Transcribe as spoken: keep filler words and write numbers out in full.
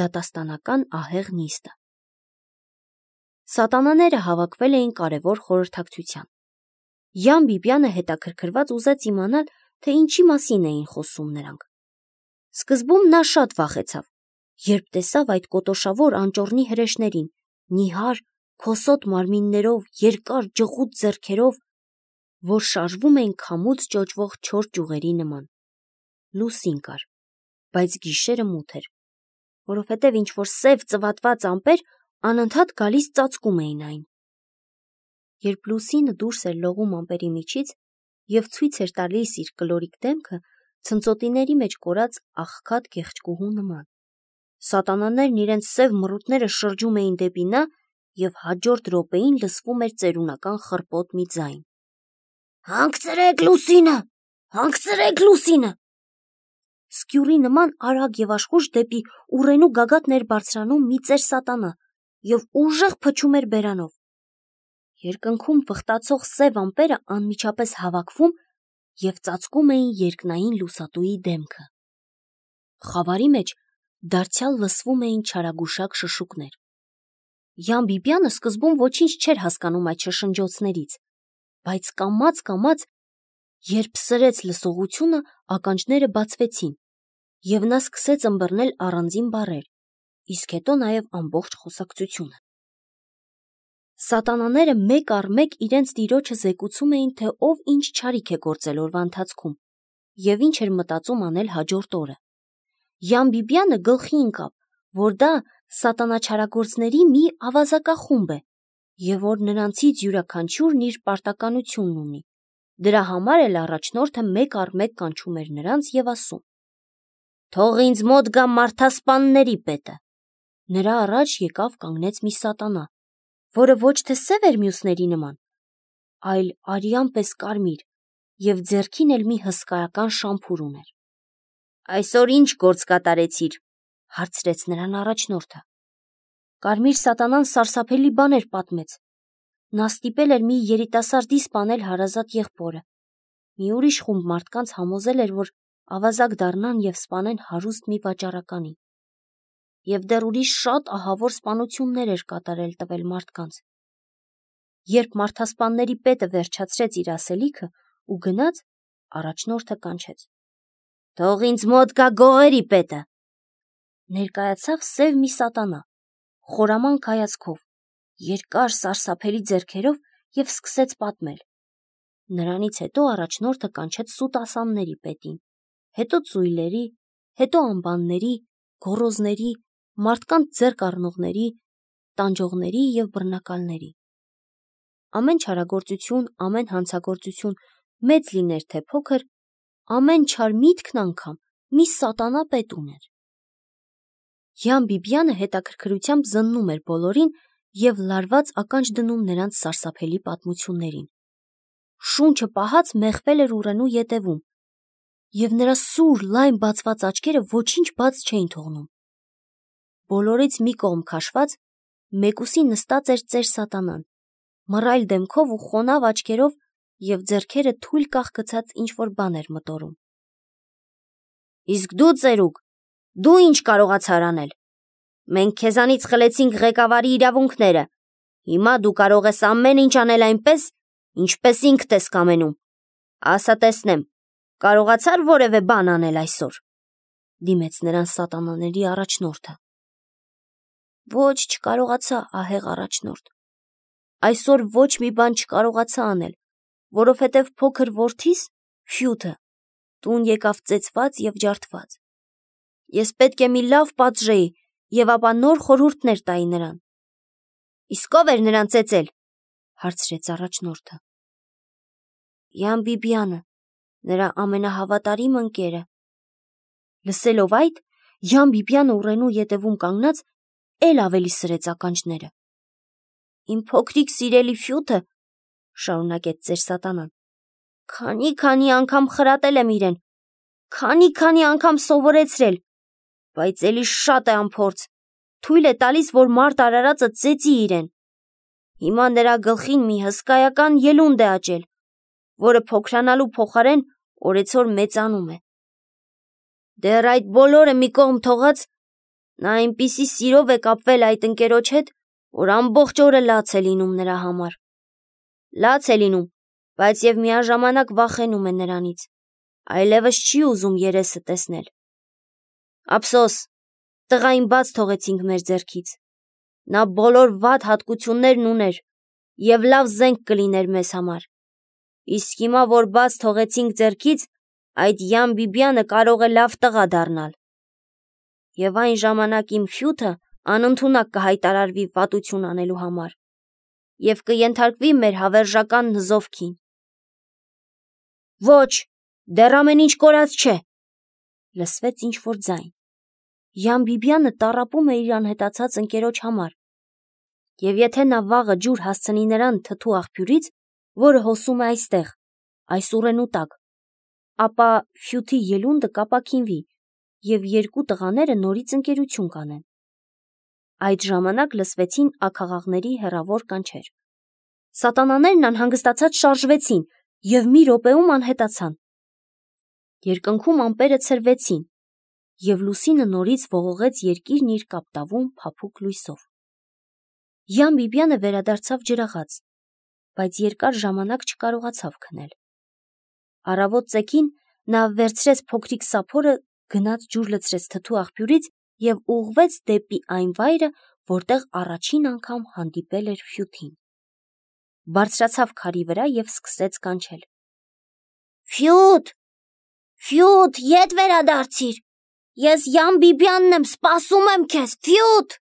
դատաստանական ահեղ նիստը։ Սատանաները հավաքվել էին կարևոր խորհրդակցության։ Յան Բիբյանը հետաքրքրված ուզեց իմանալ, թե ինչի մասին էին խոսում նրանք։ Սկզբում նա շատ վախեցավ, երբ տեսավ այդ կոտոշավոր անճոռնի հրեշներին, նիհար, քոսոտ մարմիններով, երկար ջղուտ ձեռքերով, որ շարժվում էին քամուց ճոճվող չոր ճյուղերի նման։ Լուսին կար, բայց գիշերը մութ էր, որովհետև ինչ-որ սև ծվատված ամպեր անընդհատ գալիս ծածկում էին այն։ Երբ լուսինը դուրս էր լողում ամպերի միջից և ցույց էր տալիս իր կլորիկ դեմքը, ցնծոտիների մեջ կորած աղքատ գեղեցկուհու նման, սատանաներն իրենց սև մռութները շրջում էին դեպի նա և հաջորդ րոպեին լսվում էր ծերունական խռպոտ մի ձայն. «Հանգցրեք լուսինը, հանգցրեք լուսինը»։ Սկյուռի նման արագ և աշխույժ դեպի ուռենու գագաթն էր բարձրանում մի ծեր սատանա և ուժեղ փչում էր բերանով։ Երկնքում վխտացող սև ամպերը անմիջապես հավաքվում և ծածկում էին երկնային լուսատուի դեմքը։ Խավարի մեջ դարձյալ լսվում էին չարագուշակ շշուկներ։ Յան Բիբյանը սկզբում ոչինչ չէր հասկանում այդ շշնջոցներից, բայց կամաց-կամաց, երբ սրեց լսողությունը, ականջները բացվեցին, և նա սկսեց ըմբռնել առանձին բառեր, իսկ հետո նաև ամբողջ խոսակցությունը։ Սատանաները մեկ առ մեկ իրենց տիրոջը զեկուցում էին, թե ով ինչ չարիք է գործել օրվա ընթացքում և ինչ էր մտածում անել հաջորդ օրը։ Յան Բիբյանը գլխի ընկավ, որ դա սատանաչարագործների մի ավազակախումբ է և որ նրանցից յուրաքանչյուրն իր պարտականությունն ունի։ Դրա համար էլ առաջնորդը մեկ առ մեկ կանչում էր նրանց և ասում. «Թող ինձ մոտ գա մարդասպանների պետը»։ Նրա առաջ եկավ կանգնեց մի սատանա, որը ոչ թե սև էր մյուսների նման, այլ արյան պես կարմիր և ձեռքին էլ մի հսկայական շամփուր ուներ։ «Այսօր ի՞նչ գործ կատարեցիր», հարցրեց նրան առաջնորդը։ Կարմիր սատանան սարսափելի բաներ պատմեց։ Նա ստիպել էր մի երիտասարդի սպանել հարազատ եղբորը։ Մի ուրիշ խումբ մարդկանց համոզել էր, որ ավազակ դառնան և սպանեն հարուստ մի վաճառականի։ Եվ դեռ ուրիշ շատ ահավոր սպանություններ էր կատարել տվել մարդկանց։ Երբ մարդասպանների պետը վերջացրեց իր ասելիքը ու գնաց, առաջնորդը կանչեց. «Թող ինձ մոտ գա գողերի պետը»։ Ներկայացավ սև մի սատանա, խորամանկ հայացքով, երկար սարսափելի ձեռքերով և սկսեց պատմել։ Նրանից հետո առաջնորդը կանչեց սուտ ասանների պետին, հետո ծույլերի, հետո ամբանների, գոռոզների, մարդկանց ձեռք առնողների, տանջողների և բռնակալների։ Ամեն չարագործություն, ամեն հանցագործություն, մեծ լիներ թե փոքր, ամեն չար միտքն անգամ մի սատանա պետ ուներ։ Յան Բիբյանը հետաքրքրությամբ զննում էր բոլորին և լարված ականջ դնում նրանց սարսափելի պատմություններին։ Շունչը պահած մեխվել էր ուռենու ետևում, և նրա սուր, լայն բացված աչքերը ոչինչ բաց չէին թողնում։ Բոլորից մի կողմ քաշված, մեկուսի նստած էր ծեր սատանան, մռայլ դեմքով ու խոնավ աչքերով և ձեռքերը թույլ կախ գցած ինչ-որ բան էր մտորում։ «Իսկ դու, ծերուկ, դու ինչ կարողացար անել։ Մենք քեզանից խլեցինք ղեկավարի իրավունքները, հիմա դու կարող ես ամեն ինչ անել այնպես, ինչպես ինքդ ես կամենում։ Ասա տեսնեմ, կարողացա՞ր որևէ բան անել այսօր», դիմեց նրան սատանաների առաջնորդը։ «Ոչ, չկարողացա, ահեղ առաջնորդ, այսօր ոչ մի բան չկարողացա անել, որովհետև փոքր որդիս՝ Ֆյութը տուն եկավ ծեծված և ջարդված։ Ես պետք է մի լավ պատժեի և ապա նոր խորհուրդներ տայի նրան»։ «Իսկ ո՞վ էր նրան ծեծել», հարցրեց առաջնորդը։ «Յան Բիբյանը, նրա ամենահավատարիմ ընկերը»։ Լսելով այդ, Յան Բիբյանը ուռենու ետևում կանգնած էլ ավելի սրեց ականջները։ «Իմ փոքրիկ սիրելի Ֆյութը, շարունակեց ծեր սատանան, քանի՜-քանի անգամ խրատել եմ իրեն, քանի՜-քանի անգամ սովորեցրել, բայց էլի շատ է անփորձ, թույլ է տալիս, որ մարդ արարածը ծեծի իրեն։ Հիմա նրա գլխին մի հսկայական ելունդ է աճել, որը փոքրանալու փոխարեն օրեցօր մեծանում է։ Դեռ այդ բոլորը մի կողմ թողած, Նա այնպիսի սիրով է կապվել այդ ընկերոջ հետ, որ ամբողջ օրը լաց է լինում նրա համար։ Լաց է լինում, բայց և միաժամանակ վախենում է նրանից, այլևս չի ուզում երեսը տեսնել։ Ափսոս, տղային բաց թողեցինք մեր ձեռքից։ Նա բոլոր վատ հատկություններն ուներ և լավ զենք կլիներ մեզ համար։ Իսկ հիմա, որ բաց թողեցինք ձեռքից, այդ Յան Բիբյանը կարող է լավ տղա դառնալ։ Եվ այն ժամանակ իմ ֆյութը անընդունակ կհայտարարվի վատություն անելու համար և կենթարկվի մեր հավերժական նզովքին։ Ոչ, դեռ ամեն ինչ կորած չէ, լսվեց ինչ-որ ձայն։ Յան Բիբյանը տառապում է իր անհետացած ընկերոջ համար, և եթե նա վաղը ջուր հասցնի նրան թթու աղբյուրից, որը հոսում է այստեղ, այս ուռենու տակ, ապա ֆյութի ելունդը կապաքինվի, և երկու տղաները նորից ընկերություն կանեն։ Այդ ժամանակ լսվեցին աքաղաղների հեռավոր կանչեր։ Սատանաներն անհանգստացած շարժվեցին և մի րոպեում անհետացան։ Երկնքում ամպերը ցրվեցին, և լուսինը նորից ողողեց երկիրն իր կապտավուն փափուկ լույսով։ Յան Բիբյանը վերադարձավ ջրաղաց, բայց երկար ժամանակ չկարողացավ քնել։ Առավոտ ծեքին նա վերցրեց փոքրիկ սափորը, գնաց ջուր լցրեց թթու աղբյուրից և ուղղվեց դեպի այն վայրը, որտեղ առաջին անգամ հանդիպել էր ֆյութին։ Բարձրացավ քարի վրա և սկսեց կանչել. Ֆյութ, Ֆյութ, ետ վերադարձիր, ես Յան Բիբյանն եմ, սպասում եմ քեզ, Ֆյութ։